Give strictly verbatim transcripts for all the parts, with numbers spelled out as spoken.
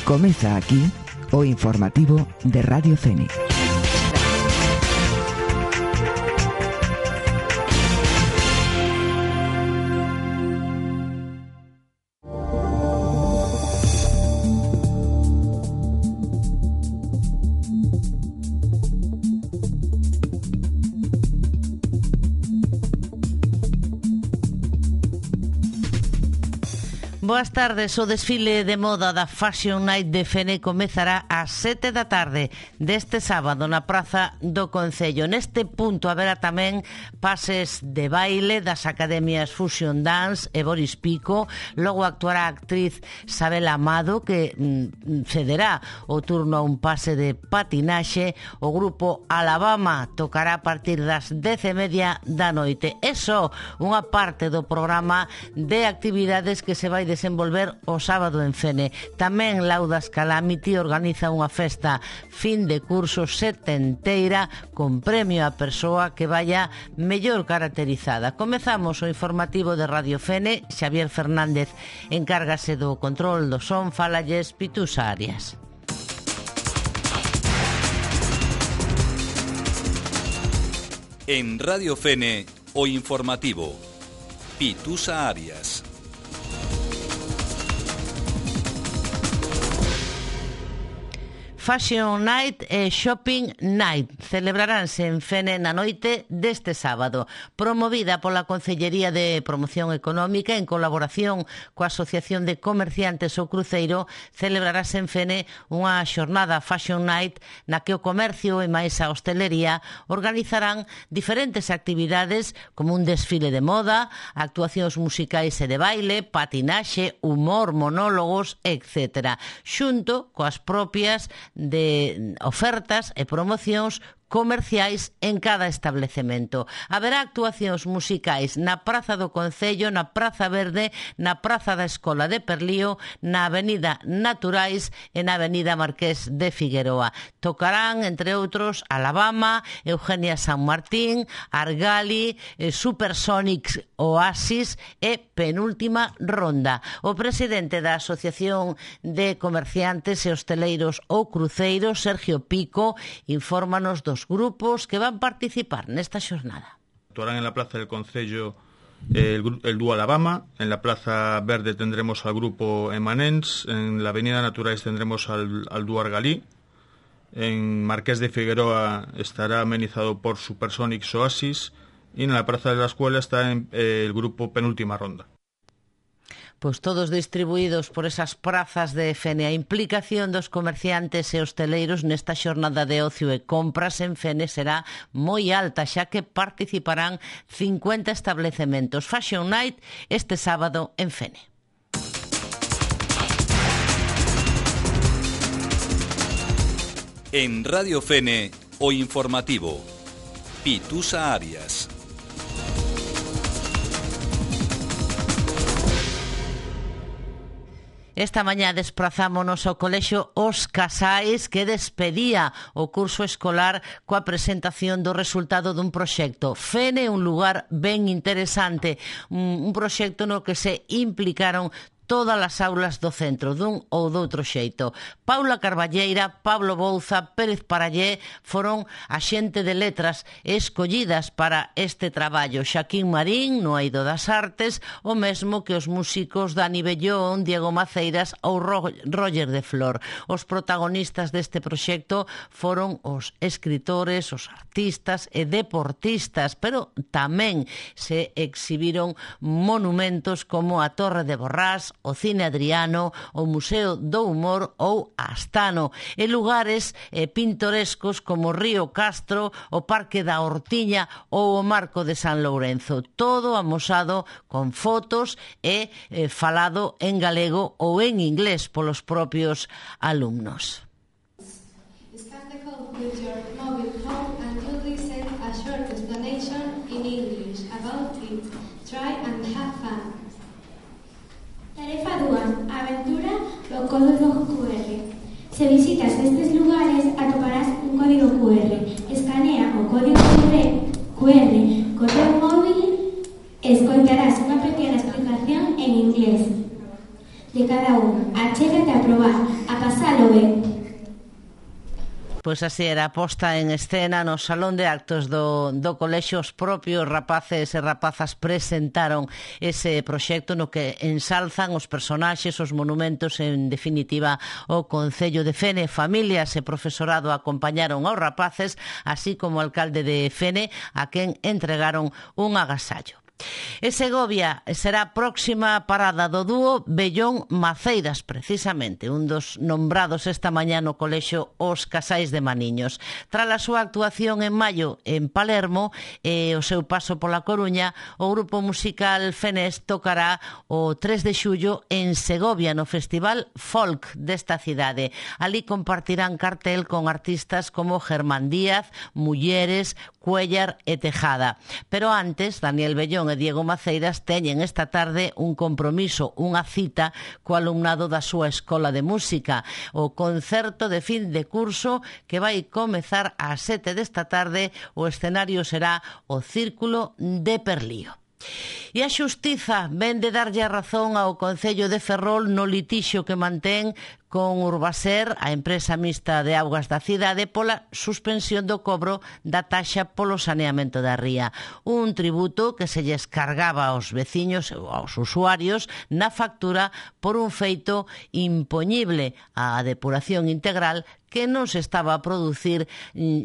Comeza aquí o informativo de Radio Fénix. Boas tardes, o desfile de moda da Fashion Night de Fene comezará ás sete da tarde deste sábado na Praza do Concello. Neste punto haberá tamén pases de baile das academias Fusion Dance e Boris Pico. Logo actuará a actriz Sabela Amado, que mm, cederá o turno a un pase de patinaxe. O grupo Alabama tocará a partir das dez e media da noite. É só unha parte do programa de actividades que se vai desenvolver o sábado en Fene. Tamén Laudas Calamity organiza unha festa fin de curso setenteira con premio á persoa que vaya mellor caracterizada. Comezamos o informativo de Radio Fene. Xavier Fernández encárgase do control do son. Falalles Pitusa Arias. En Radio Fene, o informativo. Pitusa Arias. Fashion Night e Shopping Night celebraránse en Fene na noite deste sábado, promovida pola Concellería de Promoción Económica en colaboración coa Asociación de Comerciantes O Cruceiro. Celebrarase en Fene unha xornada Fashion Night na que o comercio e máis a hostelería organizarán diferentes actividades como un desfile de moda, actuacións musicais e de baile, patinaxe, humor, monólogos, etcétera, xunto coas propias de ofertas e promocións comerciais en cada establecemento. Haberá actuacións musicais na Praza do Concello, na Praza Verde, na Praza da Escola de Perlío, na Avenida Naturais e na Avenida Marqués de Figueroa. Tocarán, entre outros, Alabama, Eugenia San Martín, Argali, Supersonics Oasis e Penúltima Ronda. O presidente da Asociación de Comerciantes e Hosteleiros O Cruceiro, Sergio Pico, infórmanos dos grupos que van participar nesta xornada. Actuarán en la Plaza del Concello el, el dúo Alabama, en la Plaza Verde tendremos al grupo Emanens, en la Avenida Naturais tendremos al, al dúo Argalí, en Marqués de Figueroa estará amenizado por Supersonics Oasis y en la Plaza de la Escuela está en, eh, el grupo Penúltima Ronda. Pois todos distribuídos por esas prazas de Fene. A implicación dos comerciantes e hosteleiros nesta xornada de ocio e compras en Fene será moi alta, xa que participarán cincuenta establecementos. Fashion Night este sábado en Fene. En Radio Fene, o informativo. Pitusa Arias. Esta mañá desprazámonos ao Colexio Os Casais, que despedía o curso escolar coa presentación do resultado dun proxecto. Fene, un lugar ben interesante, un proxecto no que se implicaron todas as aulas do centro, dun ou doutro xeito. Paula Carballeira, Pablo Bouza, Pérez Parallé foron a xente de letras escollidas para este traballo. Xaquín Marín, no Eido das Artes, o mesmo que os músicos Dani Bellón, Diego Maceiras ou Roger de Flor. Os protagonistas deste proxecto foron os escritores, os artistas e deportistas, pero tamén se exhibiron monumentos como a Torre de Borrás, o Cine Adriano, o Museo do Humor ou Astano, e lugares eh, pintorescos como Río Castro, o Parque da Hortiña ou o Marco de San Lourenzo. Todo amosado con fotos e eh, falado en galego ou en inglés polos propios alumnos. Scan the code with your mobile phone and you listen a short explanation in English about it. Try and have fun. Tarefa dúas. Aventura do código cu erre. Se visitas estes lugares atoparás un código cu erre. Escanea o código cu erre co teu móvil e escoitarás unha pequena explicación en inglés. de cada un. Achégate a probar, a pasalo ben. Pois así era a posta en escena no salón de actos do, do colexio. Os propios rapaces e rapazas presentaron ese proxecto no que ensalzan os personaxes, os monumentos, en definitiva o Concello de Fene. Familias e profesorado acompañaron aos rapaces, así como o alcalde de Fene, a quen entregaron un agasallo. E Segovia será a próxima parada do dúo Bellón Maceiras, precisamente, un dos nombrados esta mañá no colexio Os Casais de Maniños. Tras a súa actuación en maio en Palermo e o seu paso pola Coruña, o grupo musical fenés tocará o tres de xullo en Segovia, no Festival Folk desta cidade. Ali compartirán cartel con artistas como Germán Díaz, Mulleres, Cuellar e Tejada. Pero antes, Daniel Bellón e Diego Maceiras teñen esta tarde un compromiso, unha cita co alumnado da súa escola de música, o concerto de fin de curso que vai comezar ás sete desta tarde. O escenario será o Círculo de Perlío. E a Xustiza ven de darlle a razón ao Concello de Ferrol no litixio que mantén con Urbaser, a empresa mixta de augas da cidade, pola suspensión do cobro da taxa polo saneamento da ría. Un tributo que se lles cargaba aos veciños ou aos usuarios na factura por un feito impoñible, a depuración integral que non se estaba a producir,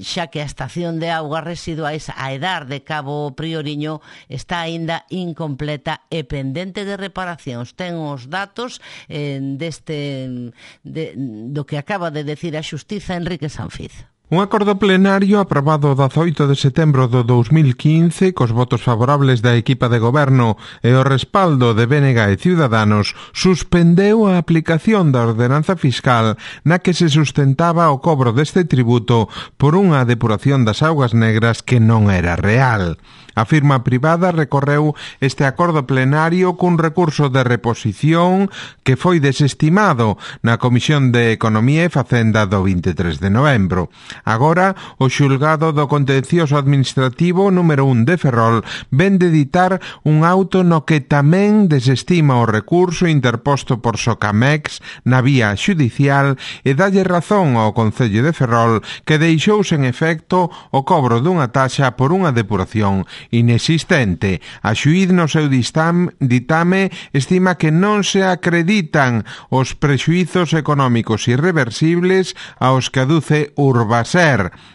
xa que a estación de augas residuais a Edar de Cabo Prioriño está aínda incompleta e pendente de reparacións. Ten os datos eh, deste de, do que acaba de decir a Xustiza Enrique Sanfiz. Un acordo plenario aprobado o dezaoito de setembro do dous mil quince cos votos favorables da equipa de goberno e o respaldo de B N G e Ciudadanos suspendeu a aplicación da ordenanza fiscal na que se sustentaba o cobro deste tributo por unha depuración das augas negras que non era real. A firma privada recorreu este acordo plenario cun recurso de reposición que foi desestimado na Comisión de Economía e Facenda do vinte e tres de novembro. Agora, o xulgado do contencioso administrativo número un de Ferrol ven de editar un auto no que tamén desestima o recurso interposto por Socamex na vía xudicial e dalle razón ao Concello de Ferrol, que deixou sen efecto o cobro dunha taxa por unha depuración inexistente. A xuíz no seu ditame estima que non se acreditan os prexuizos económicos irreversibles aos que aduce Urbaser.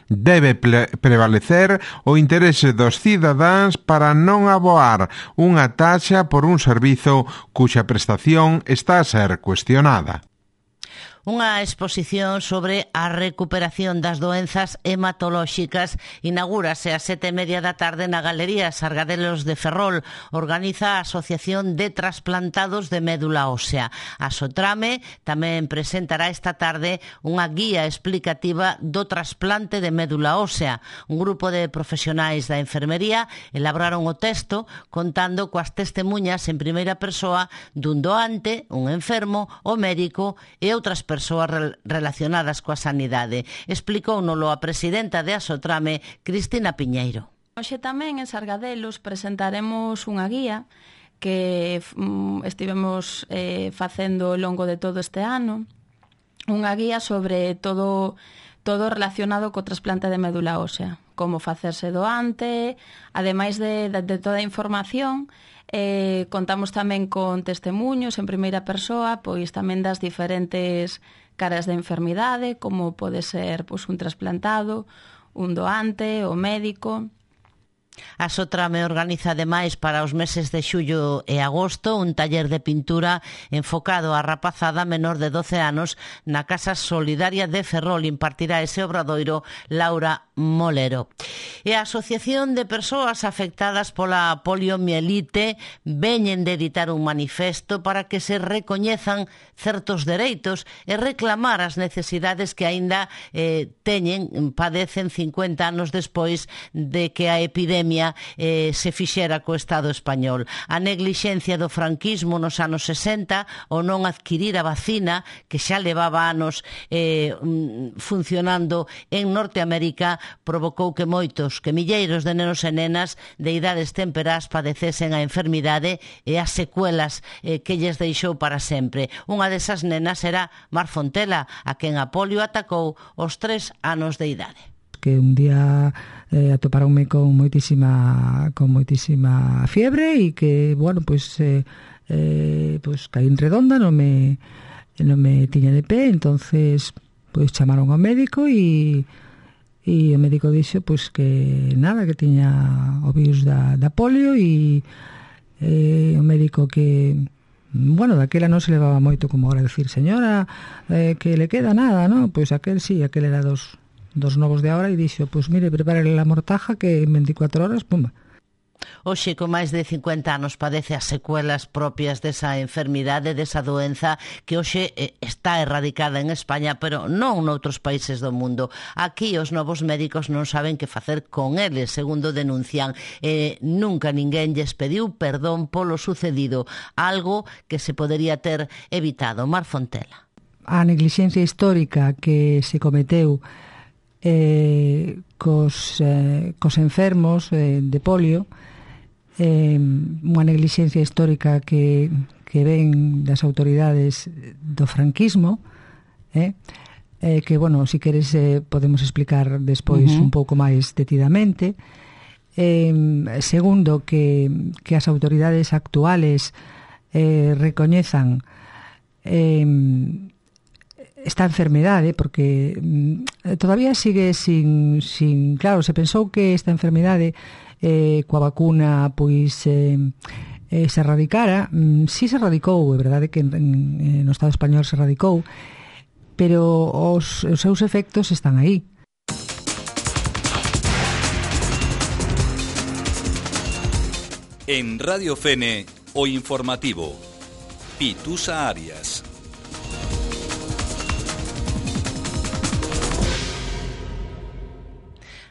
Debe prevalecer o interese dos cidadáns para non aboar unha taxa por un servizo cuxa prestación está a ser cuestionada. Unha exposición sobre a recuperación das doenzas hematolóxicas inaugúrase a sete e media da tarde na Galería Sargadelos de Ferrol. Organiza a Asociación de Trasplantados de Médula Ósea. A Sotrame tamén presentará esta tarde unha guía explicativa do trasplante de médula ósea. Un grupo de profesionais da enfermería elaboraron o texto contando coas testemunhas en primeira persoa dun doante, un enfermo, o médico e outras persoas persoas relacionadas coa sanidade. Explicóunolo a presidenta de Asotrame, Cristina Piñeiro. Hoxe tamén en Sargadelos presentaremos unha guía que mm, estivemos eh, facendo ao longo de todo este ano, unha guía sobre todo todo relacionado co trasplante de médula ósea, como facerse doante, ademais de, de, de toda a información. Eh, contamos tamén con testemuños en primeira persoa, pois tamén das diferentes caras de enfermidade, como pode ser pois, un trasplantado, un doante, o médico. A Sotrame organiza ademais para os meses de xullo e agosto un taller de pintura enfocado á rapazada menor de doce anos na Casa Solidaria de Ferrol. Impartirá ese obradoiro Laura Molero. E a Asociación de Persoas Afectadas pola Poliomielite veñen de editar un manifesto para que se recoñezan certos dereitos e reclamar as necesidades que aínda eh, teñen, padecen cincuenta anos despois de que a epidemia Eh, se fixera co Estado español. A neglixencia do franquismo nos anos sesenta, o non adquirir a vacina que xa levaba anos eh, funcionando en Norteamérica, provocou que moitos, que milleiros de nenos e nenas de idades temperás padecesen a enfermidade e as secuelas eh, que lles deixou para sempre. Unha desas nenas era Mar Fontela, a quen a polio atacou aos tres anos de idade. Que un día eh, atoparonme con moitísima con moitísima fiebre e que, bueno, pois eh, eh, pois caín redonda, non me non me tiña de pé, entonces pois chamaron ao médico e e o médico dixo pois que nada, que tiña o virus da, da polio e eh, o médico que, bueno, daquela non se levaba moito como ahora decir, señora, eh, que le queda nada, ¿no? Pois aquel sí, aquel era dos, dos novos de ahora e dixo, pois mire, prepárele la mortaja que en veinticuatro horas, pumba. Hoxe, con máis de cincuenta anos, padece as secuelas propias desa enfermidade, desa doenza que hoxe está erradicada en España, pero non noutros países do mundo. Aquí os novos médicos non saben que facer con eles, segundo denuncian. Eh, nunca ninguén lles pediu perdón polo sucedido, algo que se podería ter evitado. Mar Fontela. A neglixencia histórica que se cometeu eh, cos, eh, cos enfermos eh, de polio, eh, unha neglixencia histórica que, que ven das autoridades do franquismo, eh, eh, que, bueno, si queres eh, podemos explicar despois uh-huh. un pouco máis detidamente. Eh, segundo, que, que as autoridades actuales eh, recoñezan eh, esta enfermedade, porque mm, todavía sigue sin, sin... Claro, se pensou que esta enfermedade eh, coa vacuna pois eh, eh, se erradicara. Mm, si se erradicou, é verdade que en, en, no Estado español se erradicou, pero os, os seus efectos están aí. En Radio Fene, o informativo. Pitusa Arias.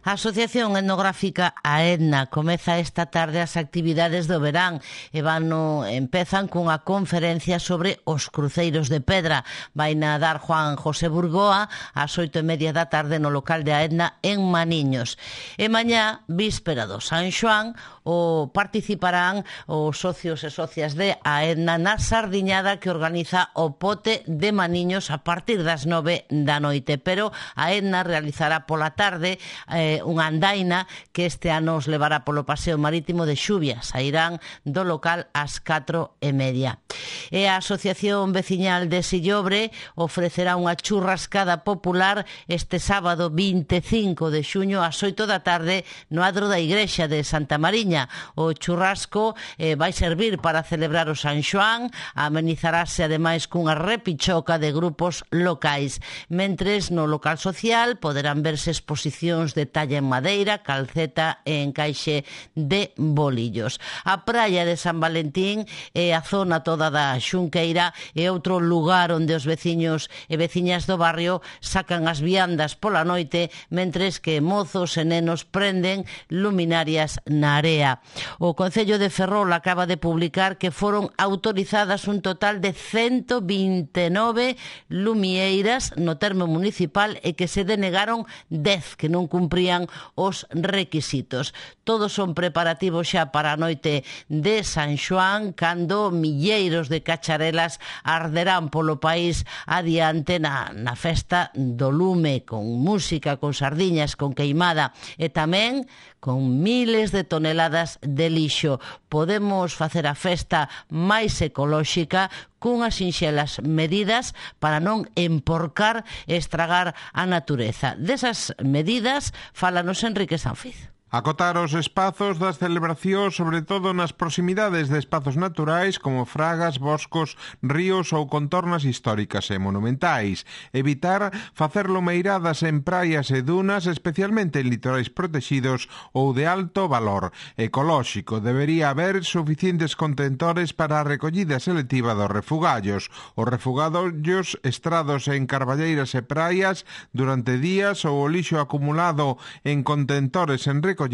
A Asociación Etnográfica AEDNA comeza esta tarde as actividades do verán e vano, empezan cunha conferencia sobre os cruceiros de pedra. Vaina dar Juan José Burgoa ás oito e media da tarde no local de AEDNA en Maniños. E mañá, víspera do San Xoán, o participarán os socios e socias de AEDNA na sardiñada que organiza o Pote de Maniños a partir das nove da noite. Pero AEDNA realizará pola tarde eh, unha andaina que este ano os levará polo paseo marítimo de Xuvia. Sairán do local ás catro e media. E a Asociación Veciñal de Sillobre ofrecerá unha churrascada popular este sábado vinte e cinco de xuño ás oito da tarde no adro da igrexa de Santa Mariña. O churrasco eh, vai servir para celebrar o San Xoán, amenizarase ademais cunha repichoca de grupos locais. Mentres no local social poderán verse exposicións de talla en madeira, calceta e encaixe de bolillos. A praia de San Valentín e a zona toda da Xunqueira é outro lugar onde os veciños e veciñas do barrio sacan as viandas pola noite, mentres que mozos e nenos prenden luminarias na area. O Concello de Ferrol acaba de publicar que foron autorizadas un total de ciento vinte e nove lumieiras no termo municipal e que se denegaron dez que non cumprían os requisitos. Todos son preparativos xa para a noite de San Xoán, cando milleiros de cacharelas arderán polo país adiante na, na festa do lume, con música, con sardiñas, con queimada e tamén con miles de toneladas de lixo. Podemos facer a festa máis ecolóxica cunhas sinxelas medidas para non emporcar e estragar a natureza. Desas medidas fálanos Enrique Sanfiz. Acotar os espazos das celebracións, sobre todo nas proximidades de espazos naturais como fragas, boscos, ríos ou contornas históricas e monumentais. Evitar facer lomeiradas en praias e dunas, especialmente en litorais protexidos ou de alto valor ecolóxico. Debería haber suficientes contentores para a recollida selectiva dos refugallos. Os refugallos estrados en carballeiras e praias durante días ou o lixo acumulado en contentores en recoller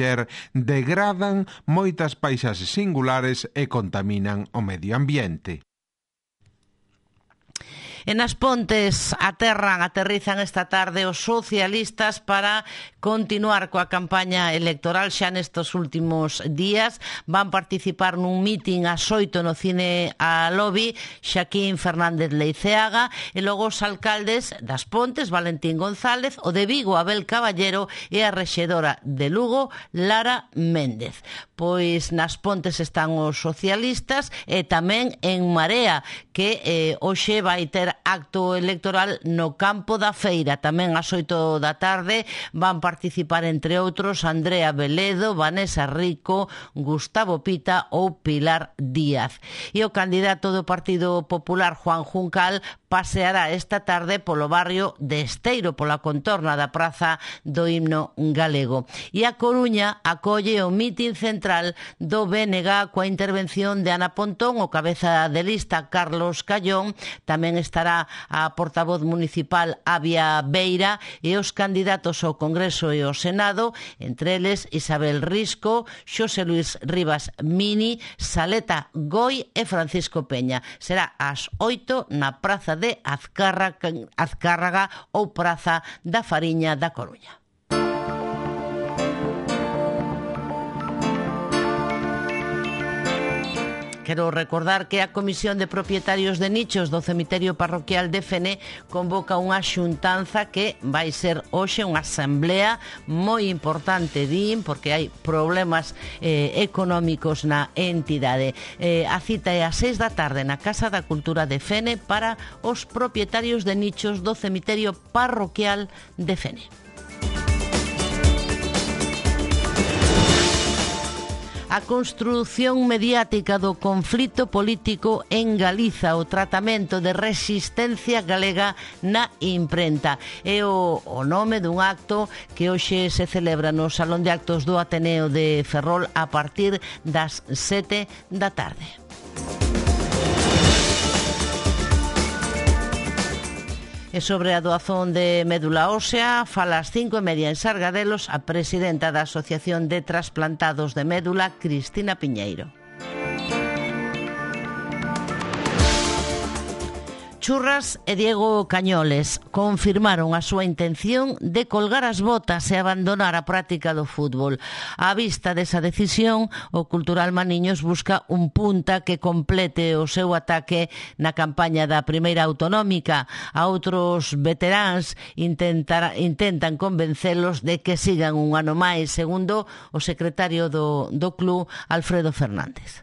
degradan moitas paisaxes singulares e contaminan o medio ambiente. En As Pontes aterran, aterrizan esta tarde os socialistas para continuar coa campaña electoral xa nestes últimos días. Van participar nun mitin ás oito no cine a Lobby, Xaquín Fernández Leiceaga, e logo os alcaldes das Pontes, Valentín González, o de Vigo, Abel Caballero, e a rexedora de Lugo, Lara Méndez. Pois nas Pontes están os socialistas e tamén en Marea, que eh, hoxe vai ter acto electoral no campo da Feira. Tamén ás oito da tarde van participar, entre outros, Andrea Veledo, Vanessa Rico, Gustavo Pita ou Pilar Díaz. E o candidato do Partido Popular, Juan Juncal, paseará esta tarde polo barrio de Esteiro, pola contorna da Praza do Himno Galego. E a Coruña acolle o mitin central do B N G coa intervención de Ana Pontón, o cabeza de lista Carlos Callón, tamén estará a portavoz municipal Avia Beira e os candidatos ao Congreso e ao Senado, entre eles Isabel Risco, Xosé Luis Rivas Mini, Saleta Goi e Francisco Peña. Será ás oito na Praza de Azcárraga, Azcárraga ou Praza da Fariña da Coruña. Quero recordar que a Comisión de Propietarios de Nichos do Cemiterio Parroquial de Fene convoca unha xuntanza que vai ser hoxe unha asamblea moi importante, din, porque hai problemas eh, económicos na entidade. Eh, a cita é ás seis da tarde na Casa da Cultura de Fene para os propietarios de nichos do Cemiterio Parroquial de Fene. A construción mediática do conflito político en Galiza, o tratamento de resistencia galega na imprenta. É o, o nome dun acto que hoxe se celebra no Salón de Actos do Ateneo de Ferrol a partir das sete da tarde. E sobre a doazón de médula ósea, fala ás cinco e media en Sargadelos a presidenta da Asociación de Trasplantados de Médula, Cristina Piñeiro. Churras e Diego Cañoles confirmaron a súa intención de colgar as botas e abandonar a práctica do fútbol. Á vista desa decisión, o Cultural Maniños busca un punta que complete o seu ataque na campaña da primeira autonómica. A outros veteráns intentar, intentan convencelos de que sigan un ano máis, segundo o secretario do, do club, Alfredo Fernández.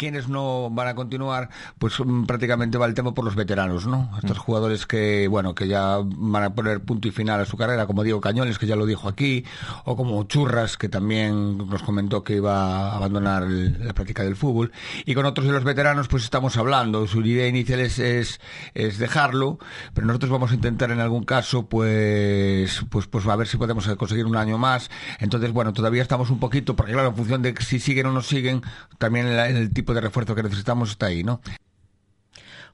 Quienes no van a continuar, pues prácticamente va el tema por los veteranos, ¿no? Estos jugadores que, bueno, que ya van a poner punto y final a su carrera, como Diego Cañoles, que ya lo dijo aquí, o como Churras, que también nos comentó que iba a abandonar el, la práctica del fútbol. Y con otros de los veteranos, pues estamos hablando. Su idea inicial es, es, es dejarlo, pero nosotros vamos a intentar en algún caso, pues, pues, pues a ver si podemos conseguir un año más. Entonces, bueno, todavía estamos un poquito, porque claro, en función de si siguen o no siguen, también el, el tipo de refuerzo que necesitamos está aí, ¿no?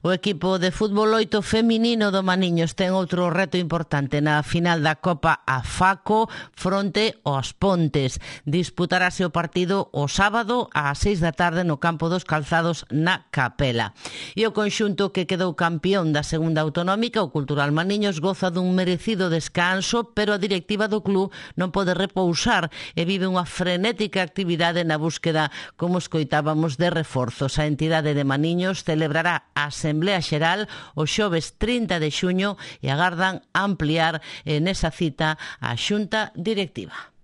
O equipo de fútbol oito feminino do Maniños ten outro reto importante na final da Copa a Faco fronte aos Pontes. Disputarase o partido o sábado ás seis da tarde no campo dos Calzados na Capela. E o conxunto que quedou campeón da segunda autonómica, o Cultural Maniños, goza dun merecido descanso, pero a directiva do club non pode repousar e vive unha frenética actividade na búsqueda, como escoitábamos, de reforzos. A entidade de Maniños celebrará a Asamblea Xeral o xoves trinta de xuño e agardan ampliar nesa cita a xunta directiva.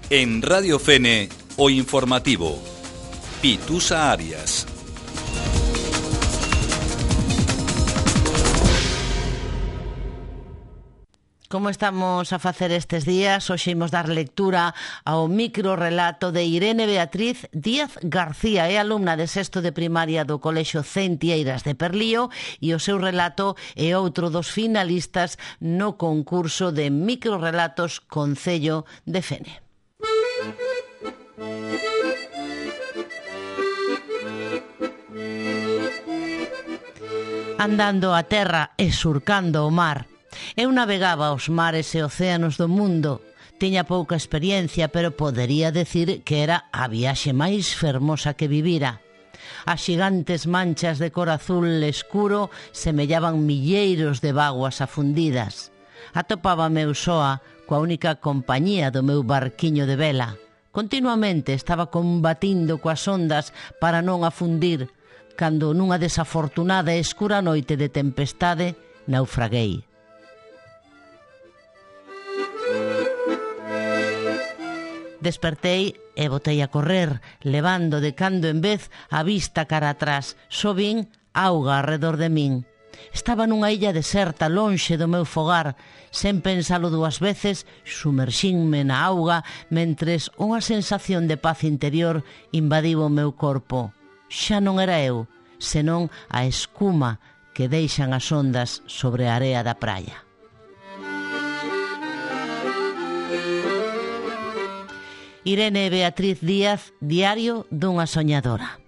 En Radio Fene, o informativo. Pitusa Arias. Como estamos a facer estes días, hoxe imos dar lectura ao microrelato de Irene Beatriz Díaz García, é alumna de sexto de primaria do Colexio Centieiras de Perlío e o seu relato é outro dos finalistas no concurso de microrelatos Concello de Fene. Andando a terra e surcando o mar, eu navegaba os mares e océanos do mundo, Tiña pouca experiencia, pero podería decir que era a viaxe máis fermosa que vivira. As xigantes manchas de cor azul escuro semellaban milleiros de vaguas afundidas. Atopábame eu soa coa única compañía do meu barquiño de vela. Continuamente estaba combatindo coas ondas para non afundir, cando nunha desafortunada e escura noite de tempestade naufraguei. Despertei e botei a correr, levando de cando en vez a vista cara atrás. Só vin auga arredor de min. Estaba nunha illa deserta, lonxe do meu fogar. Sen pensalo dúas veces, sumerxinme na auga, mentres unha sensación de paz interior invadiu o meu corpo. Xa non era eu, senón a escuma que deixan as ondas sobre a area da praia. Irene Beatriz Díaz, Diario dunha soñadora.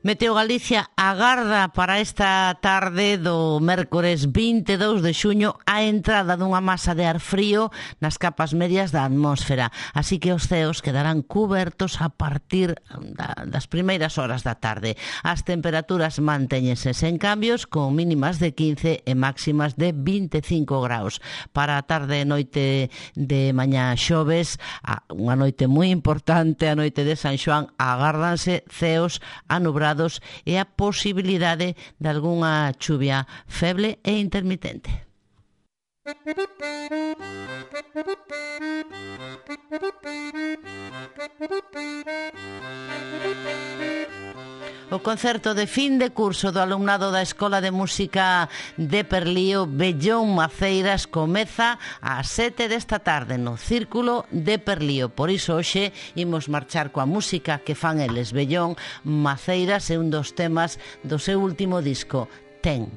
Meteo Galicia agarda para esta tarde do mércores vinte e dous de xuño a entrada dunha masa de ar frío nas capas medias da atmósfera, así que os ceos quedarán cubertos a partir da, das primeiras horas da tarde. As temperaturas mantéñense sen cambios, con mínimas de quince e máximas de vinte e cinco graus. Para a tarde e noite de mañá xoves, unha noite moi importante, a noite de San Xoán, agárdanse ceos anubrados e a posibilidade de algunha chuvia feble e intermitente. O concerto de fin de curso do alumnado da Escola de Música de Perlío Bellón Maceiras comeza ás sete desta tarde no Círculo de Perlío. Por iso hoxe imos marchar coa música que fan eles. Bellón Maceiras é un dos temas do seu último disco, Ten.